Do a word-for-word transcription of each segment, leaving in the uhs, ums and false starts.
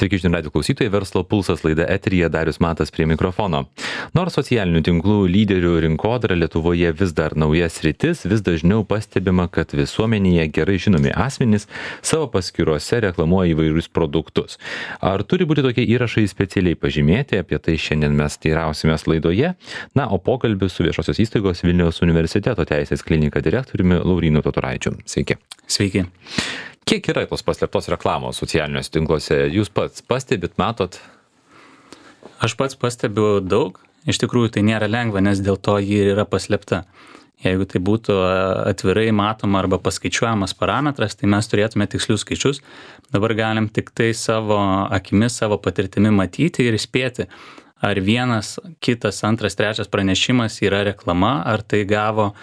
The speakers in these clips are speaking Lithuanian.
Sveiki, žinių radijo klausytojai, Verslo pulsas laida eteryje, Darius Matas prie mikrofono. Nors socialinių tinklų lyderių rinkodara Lietuvoje vis dar nauja sritis, vis dažniau pastebima, kad visuomenėje gerai žinomi asmenys savo paskyrose reklamuoja įvairius produktus. Ar turi būti tokie įrašai specialiai pažymėti, apie tai šiandien mes teirausimės laidoje. Na, o pokalbis su viešosios įstaigos Vilniaus universiteto teisės klinika direktoriumi Laurynu Totoraičiu. Sveiki. Sveiki. Kiek yra tos paslėptos reklamos socialiniuose tinkluose? Jūs pats pastebit, matot? Aš pats pastebiu daug. Iš tikrųjų, tai nėra lengva, nes dėl to ji yra paslėpta. Jeigu tai būtų atvirai matoma arba paskaičiuojamas parametras, tai mes turėtume tikslius skaičius. Dabar galim tik tai savo akimis, savo patirtimi matyti ir įspėti, ar vienas, kitas, antras, trečias pranešimas yra reklama, ar tai gavo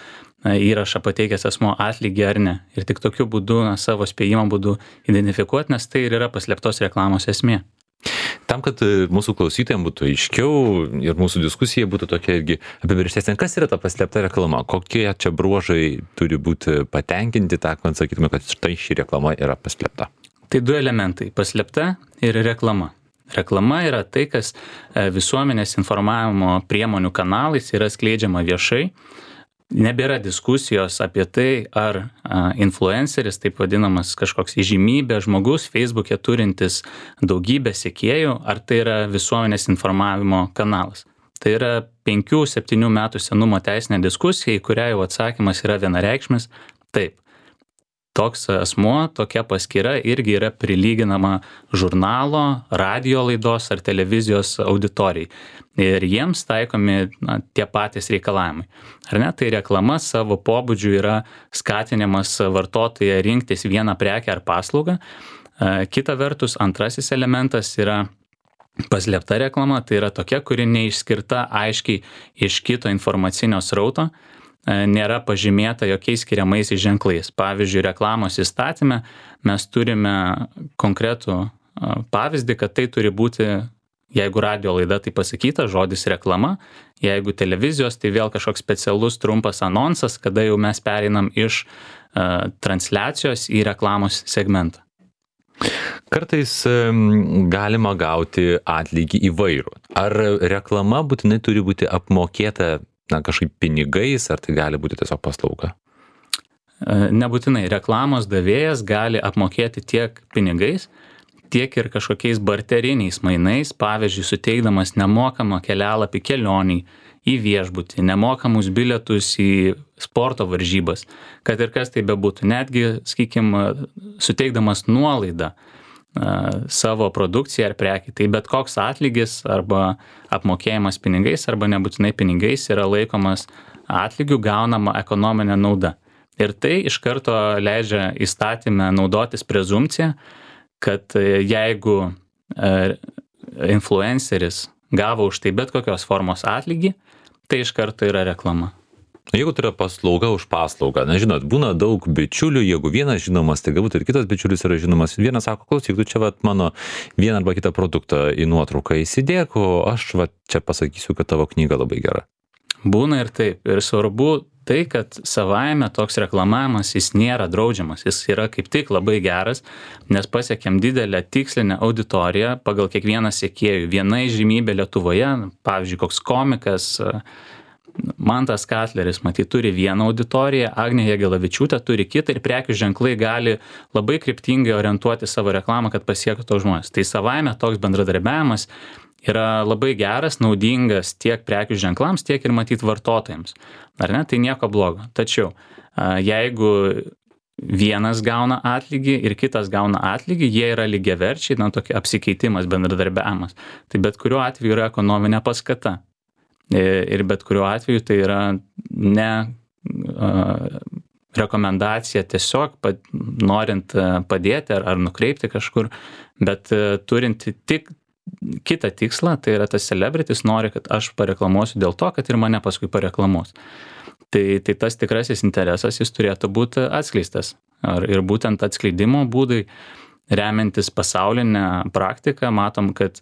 įrašą pateikęs asmuo atlygį ar ne. Ir tik tokiu būdu, na, savo spėjimo būdu identifikuoti, nes tai ir yra paslėptos reklamos esmė. Tam, kad mūsų klausytojams būtų aiškiau ir mūsų diskusija būtų tokia irgi apibrėžtesnė, kas yra ta paslėpta reklama, kokie čia bruožai turi būti patenkinti, tą, kad sakytume, kad štai ši reklama yra paslėpta. Tai du elementai - paslėpta ir reklama. Reklama yra tai, kas visuomenės informavimo priemonių kanalais yra skleidžiama viešai. Nebėra diskusijos apie tai, ar influenceris, taip vadinamas kažkoks įžymybė žmogus, Facebook'e turintis daugybę sekėjų, ar tai yra visuomenės informavimo kanalas. Tai yra penkių septynių metų senumo teisinė diskusija, į kurią jau atsakymas yra vienareikšmis. Taip, toks asmuo, tokia paskyra irgi yra prilyginama žurnalo, radijo laidos ar televizijos auditorijai. Ir jiems taikomi, na, tie patys reikalavimai. Ar ne? Tai reklama savo pobūdžiu yra skatinimas vartotoją rinktis vieną prekę ar paslaugą. Kita vertus, antrasis elementas yra paslėpta reklama, tai yra tokia, kuri neišskirta aiškiai iš kito informacinio srauto, nėra pažymėta jokiais skiriamaisiais ženklais. Pavyzdžiui, reklamos įstatyme mes turime konkretų pavyzdį, kad tai turi būti, jeigu radio laida, tai pasakyta, žodis reklama, jeigu televizijos, tai vėl kažkoks specialus trumpas anonsas, kada jau mes pereinam iš uh, transliacijos į reklamos segmentą. Kartais galima gauti atlygį įvairų. Ar reklama būtinai turi būti apmokėta, na, kažkaip pinigais, ar tai gali būti tiesiog paslauga? Nebūtinai. Reklamos davėjas gali apmokėti tiek pinigais, tiek ir kažkokiais barteriniais mainais, pavyzdžiui, suteikdamas nemokamą kelialapį kelioniai į viešbutį, nemokamus bilietus į sporto varžybas, kad ir kas tai bebūtų, netgi, sakykime, suteikdamas nuolaidą savo produkciją ar prekį. Tai bet koks atlygis arba apmokėjimas pinigais arba nebūtinai pinigais yra laikomas atlygiu gaunama ekonominė nauda. Ir tai iš karto leidžia įstatyme naudotis prezumpciją, kad jeigu influenceris gavo už tai bet kokios formos atlygį, tai iš karto yra reklama. Jeigu tai yra paslauga už paslaugą, na, žinot, būna daug bičiulių, jeigu vienas žinomas, tai galbūt ir kitas bičiulis yra žinomas. Vienas sako, klausyk, tu čia vat mano vieną arba kitą produktą į nuotrauką įsidėk, o aš vat čia pasakysiu, kad tavo knyga labai gera. Būna ir taip. Ir svarbu tai, kad savaime toks reklamavimas jis nėra draudžiamas. Jis yra kaip tik labai geras, nes pasiekėm didelę tikslinę auditoriją pagal kiekvieną sekėjų. Viena įžymybė Lietuvoje, pavyzdžiui, koks komikas Mantas Katleris, matyt, turi vieną auditoriją, Agnė Jagelavičiūtė turi kitą ir prekių ženklai gali labai kryptingai orientuoti savo reklamą, kad pasiektų tos žmonės. Tai savaime toks bendradarbiavimas yra labai geras, naudingas tiek prekių ženklams, tiek ir matyt vartotojams. Ar ne? Tai nieko blogo. Tačiau jeigu vienas gauna atlygį ir kitas gauna atlygį, jie yra lygiaverčiai, na, tokia apsikeitimas, bendradarbiavimas. Tai bet kuriuo atveju yra ekonominė paskata. Ir bet kuriuo atveju tai yra ne uh, rekomendacija tiesiog pad, norint uh, padėti ar, ar nukreipti kažkur, bet uh, turint tik kitą tikslą, tai yra tas celebritis nori, kad aš pareklamuosiu dėl to, kad ir mane paskui pareklamuos. Tai, tai tas tikrasis interesas jis turėtų būti atskleistas. Ar, ir būtent atskleidimo būdai, remiantis pasaulinę praktiką, matom, kad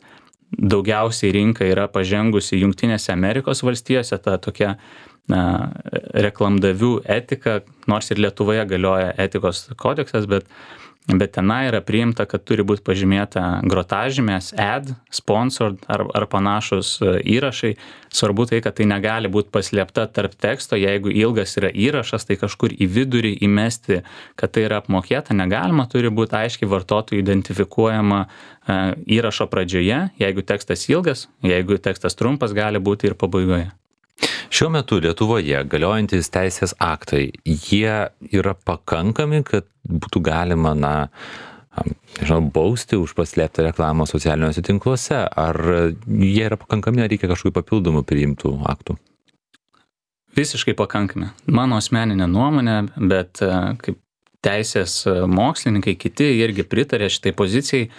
daugiausiai rinka yra pažengusi Jungtinėse Amerikos valstijose, ta tokia na, reklamdavių etika, nors ir Lietuvoje galioja etikos kodeksas, bet bet tenai yra priimta, kad turi būti pažymėta grotažymės, ad, sponsored ar, ar panašus įrašai. Svarbu tai, kad tai negali būti paslėpta tarp teksto, jeigu ilgas yra įrašas, tai kažkur į vidurį įmesti, kad tai yra apmokėta, negalima, turi būti aiškiai vartotojų identifikuojama įrašo pradžioje, jeigu tekstas ilgas, jeigu tekstas trumpas, gali būti ir pabaigoje. Šiuo metu Lietuvoje galiojantis teisės aktai, jie yra pakankami, kad būtų galima, na, nežinau, bausti už paslėptą reklamą socialiniuose tinkluose, ar jie yra pakankami, ar reikia kažkokių papildomų priimtų aktų? Visiškai pakankami. Mano asmeninė nuomonė, bet kaip teisės mokslininkai, kiti irgi pritarė šitai pozicijai,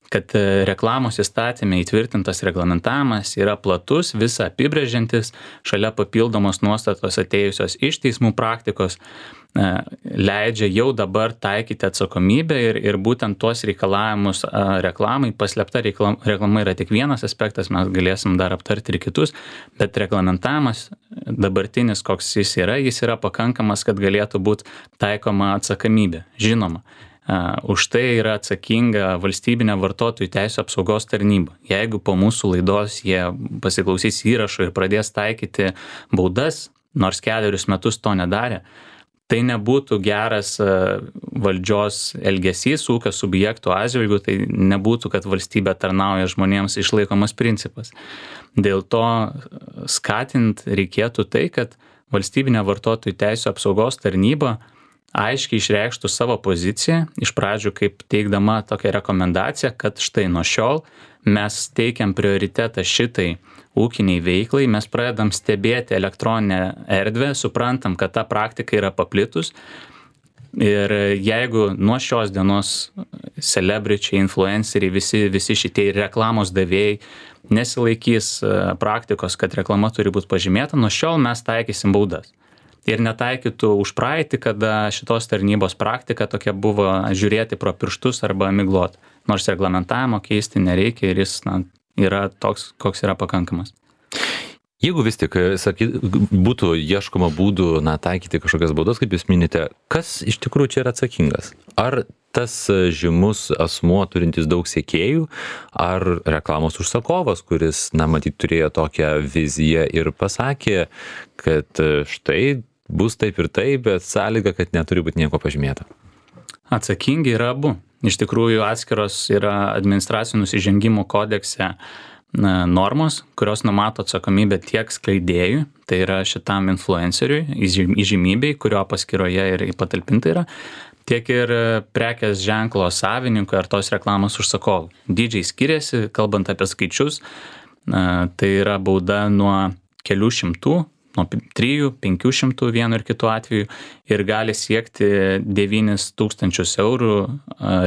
kad reklamos įstatyme įtvirtintas reglamentavimas yra platus, visą apibrėžiantis, šalia papildomos nuostatos atėjusios iš teismų praktikos, leidžia jau dabar taikyti atsakomybę ir, ir būtent tuos reikalavimus reklamai. Paslėpta reklama, reklama yra tik vienas aspektas, mes galėsim dar aptarti ir kitus, bet reglamentavimas dabartinis, koks jis yra, jis yra pakankamas, kad galėtų būti taikoma atsakomybė. Žinoma, Uh, už tai yra atsakinga valstybinė vartotojų teisų apsaugos tarnyba. Jeigu po mūsų laidos jie pasiklausys įrašų ir pradės taikyti baudas, nors kelerius metus to nedarė, tai nebūtų geras uh, valdžios elgesys ūkio subjektų atžvilgiu, tai nebūtų, kad valstybė tarnauja žmonėms išlaikomas principas. Dėl to skatint reikėtų tai, kad valstybinė vartotojų teisų apsaugos tarnyba aiškiai išreikštų savo poziciją, iš pradžių kaip teikdama tokią rekomendaciją, kad štai nuo šiol mes teikiam prioritetą šitai ūkiniai veiklai, mes pradedam stebėti elektroninę erdvę, suprantam, kad ta praktika yra paplitus ir jeigu nuo šios dienos celebričiai, influenceriai, visi, visi šitie reklamos davėjai nesilaikys praktikos, kad reklama turi būti pažymėta, nuo šiol mes taikysim baudas. Ir netaikytų už praeitį, kada šitos tarnybos praktika tokia buvo žiūrėti pro pirštus arba miglot. Nors reglamentavimo keisti nereikia ir jis, na, yra toks, koks yra pakankamas. Jeigu vis tik sakyt, būtų ieškoma būdų, na, taikyti kažkokias baudas, kaip jūs minite, kas iš tikrųjų čia yra atsakingas? Ar tas žymus asmuo turintis daug sekėjų, ar reklamos užsakovas, kuris, na, matyt, turėjo tokią viziją ir pasakė, kad štai bus taip ir taip, bet sąlyga, kad neturi būti nieko pažymėta? Atsakingi yra abu. Iš tikrųjų, atskiros yra administracinių nusižengimų kodekse normos, kurios numato atsakomybę tiek skleidėjui, tai yra šitam influenceriui, įžymybei, kurio paskyroje ir patalpinta yra, tiek ir prekės ženklo savininkui ar tos reklamos užsakovui. Dydžiai skiriasi, kalbant apie skaičius, tai yra bauda nuo kelių šimtų, nuo trijų, penkių šimtų vienu ir kitu atveju ir gali siekti devynis tūkstančius eurų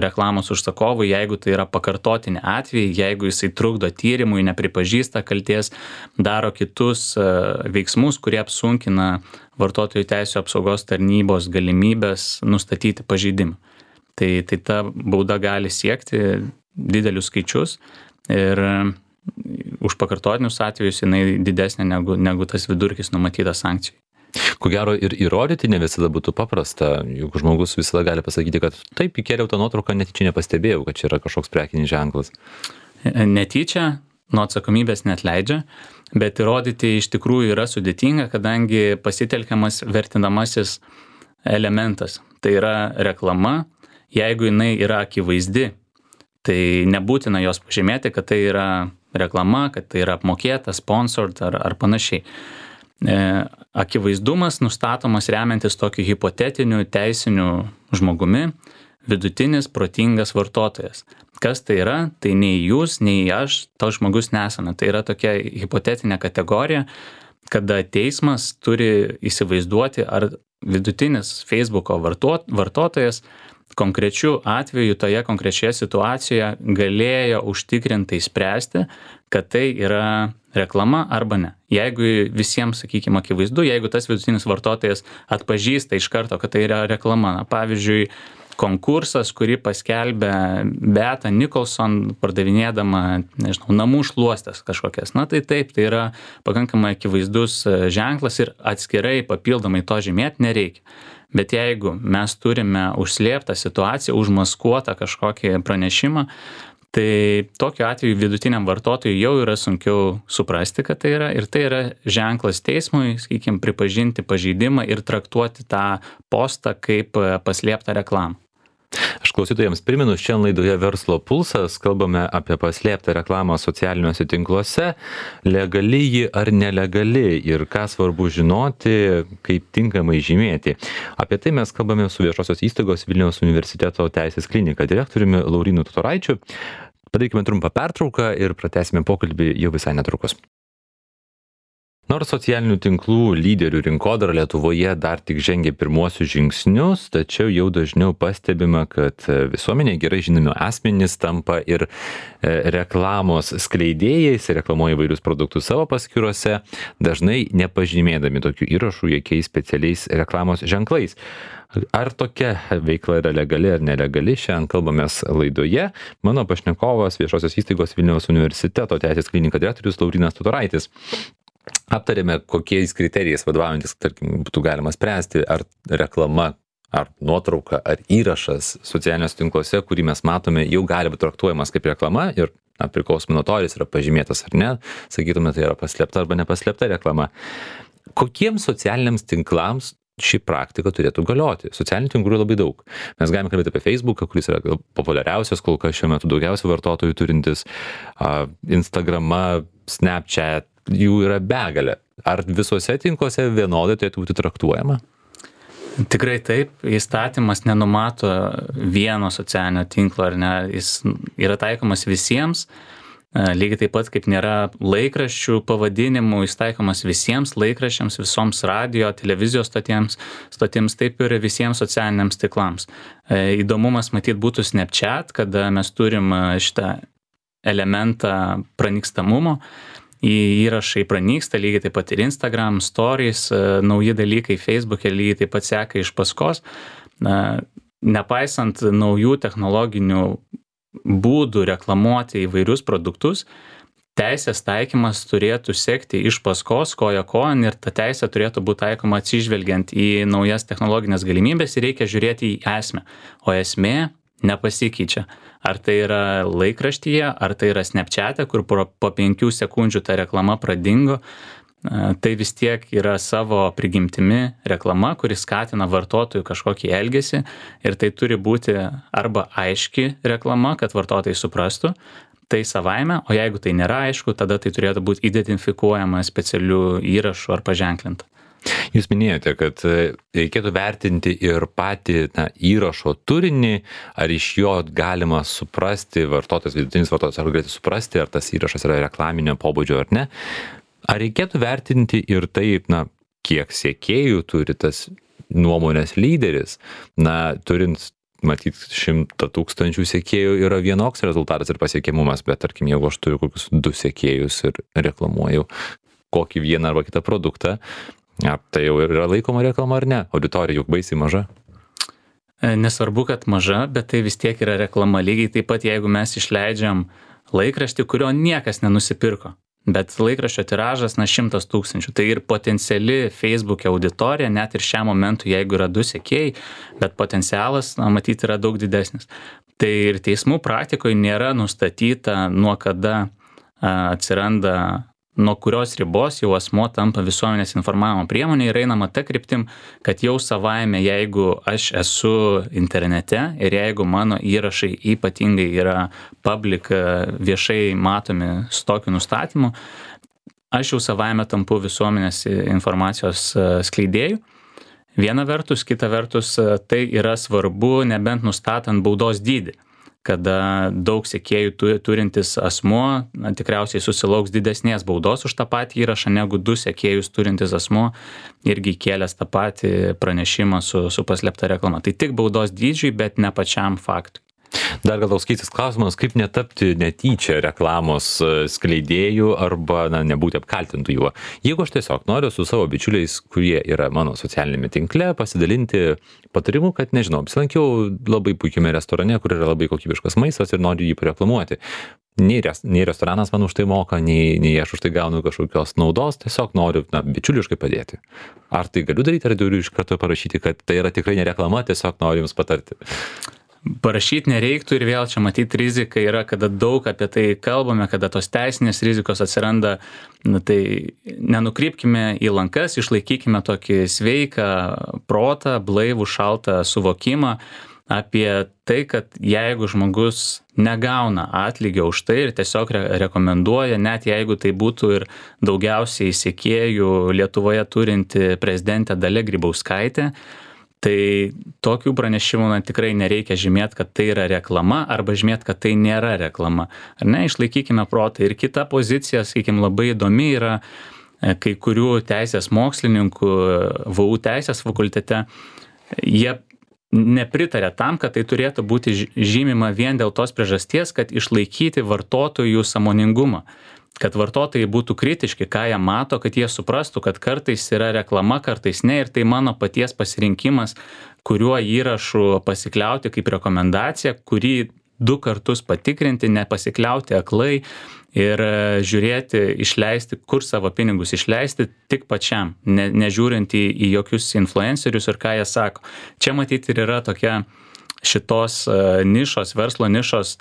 reklamos užsakovui, jeigu tai yra pakartotinė atvejai, jeigu jisai trukdo tyrimui, nepripažįsta kaltės, daro kitus veiksmus, kurie apsunkina vartotojų teisų apsaugos tarnybos galimybės nustatyti pažeidimą. Tai, tai ta bauda gali siekti didelius skaičius ir už pakartotinius atvejus jinai didesnė negu, negu tas vidurkis numatytas sankcijų. Ko gero ir įrodyti ne visada būtų paprasta, juk žmogus visada gali pasakyti, kad taip, įkėliau tą nuotrauką, netyčia nepastebėjau, kad čia yra kažkoks prekinis ženklas. Netyčia nuo atsakomybės neatleidžia, bet įrodyti iš tikrųjų yra sudėtinga, kadangi pasitelkiamas vertinamasis elementas. Tai yra reklama, jeigu jinai yra akivaizdi, tai nebūtina jos pažymėti, kad tai yra reklama, kad tai yra apmokėta, sponsored ar, ar panašiai. E, akivaizdumas nustatomas remiantis tokiu hipotetiniu teisiniu žmogumi, vidutinis protingas vartotojas. Kas tai yra? Tai nei jūs, nei aš, toks žmogus nesame. Tai yra tokia hipotetinė kategorija, kada teismas turi įsivaizduoti, ar vidutinis Facebooko vartot, vartotojas konkrečių atveju toje konkrečioje situacijoje galėjo užtikrintai spręsti, kad tai yra reklama arba ne. Jeigu visiems, sakykime, akivaizdu, jeigu tas vidutinis vartotojas atpažįsta iš karto, kad tai yra reklama. Na, pavyzdžiui, konkursas, kurį paskelbė Beata Nicholson, pardavinėdama, nežinau, namų šluostes kažkokias. Na tai taip, tai yra pakankamai akivaizdus ženklas ir atskirai papildomai to žymėti nereikia. Bet jeigu mes turime užslėptą situaciją, užmaskuotą kažkokį pranešimą, tai tokiu atveju vidutiniam vartotojui jau yra sunkiau suprasti, kad tai yra, ir tai yra ženklas teismui, sakykime, pripažinti pažeidimą ir traktuoti tą postą kaip paslėptą reklamą. Aš klausytojams primenu, šiandien laidoje Verslo pulsas kalbame apie paslėptą reklamą socialiniuose tinkluose, legali ji ar nelegali ir ką svarbu žinoti, kaip tinkamai žymėti. Apie tai mes kalbame su viešosios įstaigos Vilniaus universiteto teisės klinika direktoriumi Laurynu Totoraičiu. Padarykime trumpą pertrauką ir pratęsime pokalbį jau visai netrukus. Nors socialinių tinklų lyderių rinkodara Lietuvoje dar tik žengia pirmuosius žingsnius, tačiau jau dažniau pastebima, kad visuomenė gerai žinomi asmenys tampa ir reklamos skleidėjais, reklamuoja įvairius produktus savo paskyrose, dažnai nepažymėdami tokių įrašų jokiais specialiais reklamos ženklais. Ar tokia veikla yra legali ar nelegali, šiandien kalbamės laidoje. Mano pašnekovas viešosios įstaigos Vilniaus universiteto teisės klinika direktorius Laurynas Totoraitis. Aptarėme, kokiais kriterijais vadovaujantis, tarkim, būtų galima spręsti, ar reklama, ar nuotrauka, ar įrašas socialiniuose tinkluose, kurį mes matome, jau gali būti traktuojamas kaip reklama ir na, priklausomai nuo to, ar jis yra pažymėtas ar ne, sakytume, tai yra paslėpta arba nepaslėpta reklama. Kokiems socialiniams tinklams ši praktika turėtų galioti? Socialinių tinklų labai daug. Mes galime kalbėti apie Facebooką, kuris yra populiariausias, kol kas šiuo metu daugiausiai vartotojų turintis, Instagramą, Snapchat, jų yra begalė. Ar visuose tinkluose vienodai turėtų būti traktuojama? Tikrai taip, įstatymas nenumato vieno socialinio tinklo, ar ne, jis yra taikomas visiems, lygiai taip pat kaip nėra laikraščių pavadinimų, jis taikomas visiems laikraščiams, visoms radio, televizijos stotims, stotims, taip ir visiems socialiniams tinklams. Įdomumas matyt būtų Snapchat, kada mes turim šitą elementą pranykstamumo, į įrašai pranyksta, lygiai taip pat ir Instagram, Stories, nauji dalykai Facebook'e lygiai taip pat seka iš paskos. Nepaisant naujų technologinių būdų reklamuoti įvairius produktus, teisės taikymas turėtų sekti iš paskos, koja kojon, ir ta teisė turėtų būti taikoma atsižvelgiant į naujas technologinės galimybės ir reikia žiūrėti į esmę. O esmė nepasikeičia. Ar tai yra laikraštyje, ar tai yra Snapchat'e, kur po penkių sekundžių ta reklama pradingo, tai vis tiek yra savo prigimtimi reklama, kuri skatina vartotojų kažkokį elgesį ir tai turi būti arba aiški reklama, kad vartotojai suprastų tai savaime, o jeigu tai nėra aišku, tada tai turėtų būti identifikuojama specialių įrašų ar paženklinta. Jūs minėjote, kad reikėtų vertinti ir patį na, įrašo turinį, ar iš jo galima suprasti, vartotojas, vidutinis vartotojas, ar galėtų suprasti, ar tas įrašas yra reklaminio pobūdžio ar ne. Ar reikėtų vertinti ir taip, na, kiek sekėjų turi tas nuomonės lyderis, na, turint, matyt, šimtą tūkstančių sekėjų yra vienoks rezultatas ir pasiekiamumas, bet tarkim, jeigu aš turiu kokius du sekėjus ir reklamuoju kokį vieną arba kitą produktą, ja, tai jau yra laikoma reklama ar ne? Auditorija juk baisiai maža. Nesvarbu, kad maža, bet tai vis tiek yra reklama. Lygiai taip pat, jeigu mes išleidžiam laikraštį, kurio niekas nenusipirko, bet laikraščio tiražas, na, šimtas tūkstančių. Tai ir potenciali Facebook'e auditorija, net ir šiam momentu, jeigu yra du sekėjai, bet potencialas, na, matyti, yra daug didesnis. Tai ir teismų praktikoje nėra nustatyta, nuo kada a, atsiranda nuo kurios ribos jau asmuo tampa visuomenės informavimo priemonė ir einama ta kryptim, kad jau savaime, jeigu aš esu internete ir jeigu mano įrašai ypatingai yra public, viešai matomi su tokiu nustatymu, aš jau savaime tampu visuomenės informacijos skleidėjų. Viena vertus, kita vertus, tai yra svarbu, nebent nustatant baudos dydį, kada daug sekėjų turintis asmuo na, tikriausiai susilauks didesnės baudos už tą patį įrašą negu du sekėjus turintis asmuo irgi kėlęs tą patį pranešimą su, su paslėpta reklama. Tai tik baudos dydžiui, bet ne pačiam faktui. Dar gal toks keistas klausimas, kaip netapti netyčia reklamos skleidėjų arba na, nebūti apkaltintų juo. Jeigu aš tiesiog noriu su savo bičiuliais, kurie yra mano socialinėme tinkle, pasidalinti patarimu, kad nežinau, apsilankiau labai puikiame restorane, kur yra labai kokybiškas maistas ir noriu jį pareklamuoti. Nei, res, nei restoranas man už tai moka, nei, nei aš už tai gaunu kažkokios naudos, tiesiog noriu na, bičiuliškai padėti. Ar tai galiu daryti, ar turiu iš karto parašyti, kad tai yra tikrai ne reklama, tiesiog noriu jums patarti? Parašyti nereiktų ir vėl čia matyti rizika yra, kada daug apie tai kalbame, kada tos teisinės rizikos atsiranda, na, tai nenukrypkime į lankas, išlaikykime tokį sveiką protą, blaivų, šaltą suvokimą apie tai, kad jeigu žmogus negauna atlygio už tai ir tiesiog re- rekomenduoja, net jeigu tai būtų ir daugiausiai sekėjų Lietuvoje turinti prezidentė Dalia Grybauskaitė, tai tokių pranešimų na, tikrai nereikia žymėti, kad tai yra reklama arba žymėti, kad tai nėra reklama. Ar ne, išlaikykime protą. Ir kita pozicija, sakykime, labai įdomi yra kai kurių teisės mokslininkų V U teisės fakultete. Jie nepritarė tam, kad tai turėtų būti žymima vien dėl tos priežasties, kad išlaikyti vartotojų sąmoningumą. Kad vartotojai būtų kritiški, ką jie mato, kad jie suprastų, kad kartais yra reklama, kartais ne, ir tai mano paties pasirinkimas, kuriuo įrašu pasikliauti kaip rekomendacija, kurį du kartus patikrinti, nepasikliauti aklai ir žiūrėti, išleisti, kur savo pinigus išleisti tik pačiam, ne, nežiūrint į, į jokius influencerius ir ką jie sako. Čia matyti ir yra tokia šitos nišos, verslo nišos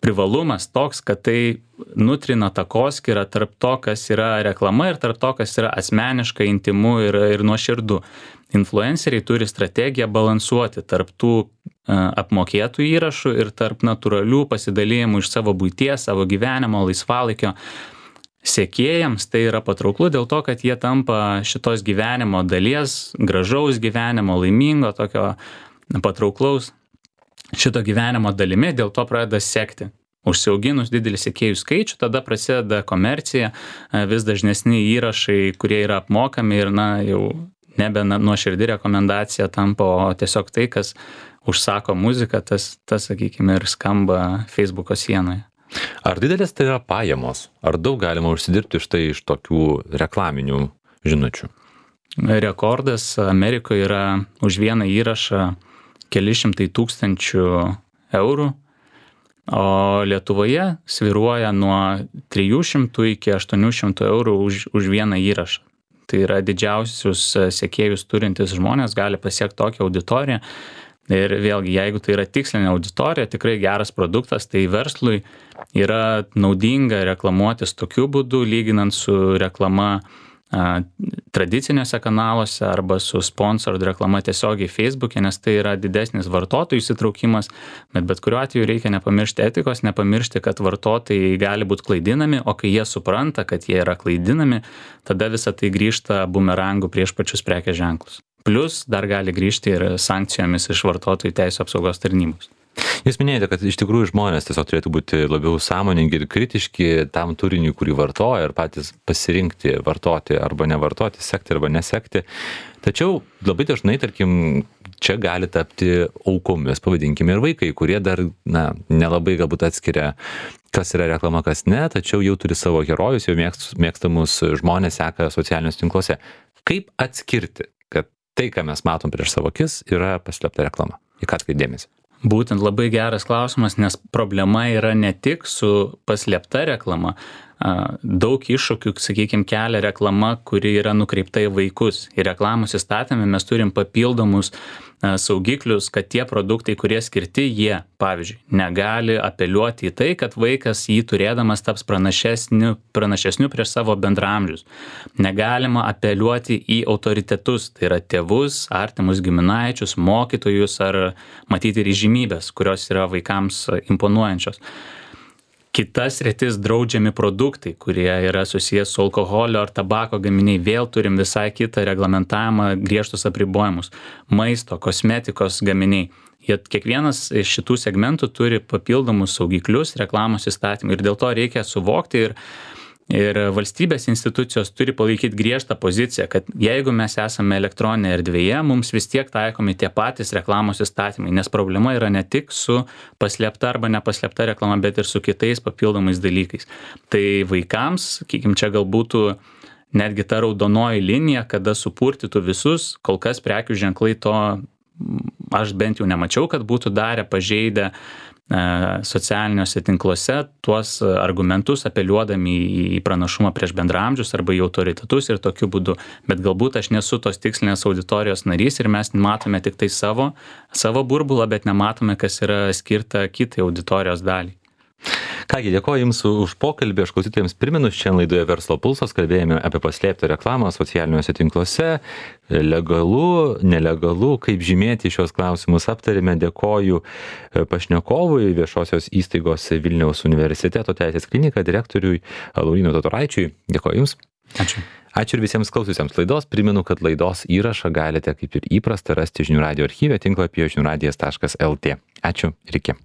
privalumas toks, kad tai nutrina takoskyrą tarp to, kas yra reklama ir tarp to, kas yra asmeniška, intimu ir, ir nuoširdu. Influenceriai turi strategiją balansuoti tarp tų apmokėtų įrašų ir tarp natūralių pasidalijimų iš savo buities, savo gyvenimo, laisvalaikio. Sekėjams tai yra patrauklu dėl to, kad jie tampa šitos gyvenimo dalies, gražaus gyvenimo, laimingo, tokio patrauklaus šito gyvenimo dalimi, dėl to pradeda sekti. Užsiauginus didelį sekėjų skaičių, tada prasideda komercija, vis dažnesni įrašai, kurie yra apmokami ir na, jau nebe nuoširdi rekomendacija tampa, o tiesiog tai, kas užsako muziką, tas, tas sakykime, ir skamba Facebooko sienoje. Ar didelės tai yra pajamos? Ar daug galima užsidirbti štai iš tokių reklaminių žinučių? Rekordas Amerikoje yra už vieną įrašą keli šimtai tūkstančių eurų, o Lietuvoje svyruoja nuo trijų šimtų iki aštuonių šimtų eurų už, už vieną įrašą. Tai yra didžiausius sekėjus turintis žmonės gali pasiekti tokią auditoriją. Ir vėlgi, jeigu tai yra tikslinė auditorija, tikrai geras produktas, tai verslui yra naudinga reklamuotis tokiu būdu, lyginant su reklama tradicinėse kanaluose arba su sponsored reklama tiesiogiai Facebook'e, nes tai yra didesnis vartotojų įsitraukimas, bet bet kuriuo atveju reikia nepamiršti etikos, nepamiršti, kad vartotojai gali būti klaidinami, o kai jie supranta, kad jie yra klaidinami, tada visa tai grįžta bumerangų prieš pačius prekės ženklus. Plus dar gali grįžti ir sankcijomis iš vartotojų teisų apsaugos tarnybos. Jūs minėjote, kad iš tikrųjų žmonės tiesiog turėtų būti labiau sąmoningi ir kritiški tam turiniui, kurį vartoja ir patys pasirinkti vartoti arba nevartoti, sekti arba nesekti. Tačiau labai dažnai, tarkim, čia gali tapti aukomis, pavadinkime, ir vaikai, kurie dar na, nelabai galbūt atskiria, kas yra reklama, kas ne, tačiau jau turi savo herojus, jau mėgstamus žmonės seka socialiniuose tinkluose. Kaip atskirti, kad tai, ką mes matom prieš savo akis, yra paslėpta reklama? Į ką atkreipti dėmesį? Būtent labai geras klausimas, nes problema yra ne tik su paslėpta reklama. Daug iššūkių, sakykime, kelia reklama, kuri yra nukreipta į vaikus. Ir reklamos įstatyme mes turim papildomus saugiklius, kad tie produktai, kurie skirti, jie, pavyzdžiui, negali apeliuoti į tai, kad vaikas jį turėdamas taps pranašesniu, pranašesniu prieš savo bendraamžius. Negalima apeliuoti į autoritetus, tai yra tėvus, artimus giminaičius, mokytojus ar matyti ir įžymybės, kurios yra vaikams imponuojančios. Kitas sritis draudžiami produktai, kurie yra susijęs su alkoholio ar tabako gaminiai, vėl turim visai kitą reglamentavimą, griežtus apribojimus. Maisto, kosmetikos gaminiai. Jie kiekvienas iš šitų segmentų turi papildomus saugiklius reklamos įstatymų ir dėl to reikia suvokti ir Ir valstybės institucijos turi palaikyti griežtą poziciją, kad jeigu mes esame elektroninėje erdvėje, mums vis tiek taikomi tie patys reklamos įstatymai, nes problema yra ne tik su paslėpta arba nepaslėpta reklama, bet ir su kitais papildomais dalykais. Tai vaikams, sakykim, čia gal būtų netgi ta raudonoji linija, kada supurtytų visus, kol kas prekių ženklai to aš bent jau nemačiau, kad būtų darę pažeidę socialiniuose tinkluose tuos argumentus apeliuodami į pranašumą prieš bendraamžius arba į autoritetus ir tokiu būdu. Bet galbūt aš nesu tos tikslinės auditorijos narys ir mes matome tik tai savo, savo burbulą, bet nematome, kas yra skirta kitai auditorijos daliai. Kągi, dėkoju Jums už pokalbį. Aš klausytojams primenu, šiandien laidoje Verslo pulsas kalbėjome apie paslėptą reklamą socialiniuose tinkluose. Legalu, nelegalu, kaip žymėti šios klausimus aptarėme. Dėkoju pašnekovui, viešosios įstaigos Vilniaus universiteto teisės klinika direktoriui Laurynui Totoraičiui. Dėkoju Jums. Ačiū. Ačiū ir visiems klausiusiems laidos. Primenu, kad laidos įrašą galite, kaip ir įprasta, rasti žinių radijo archyve tinklapyje žinių radijas taškas lt. Ačiū ir iki.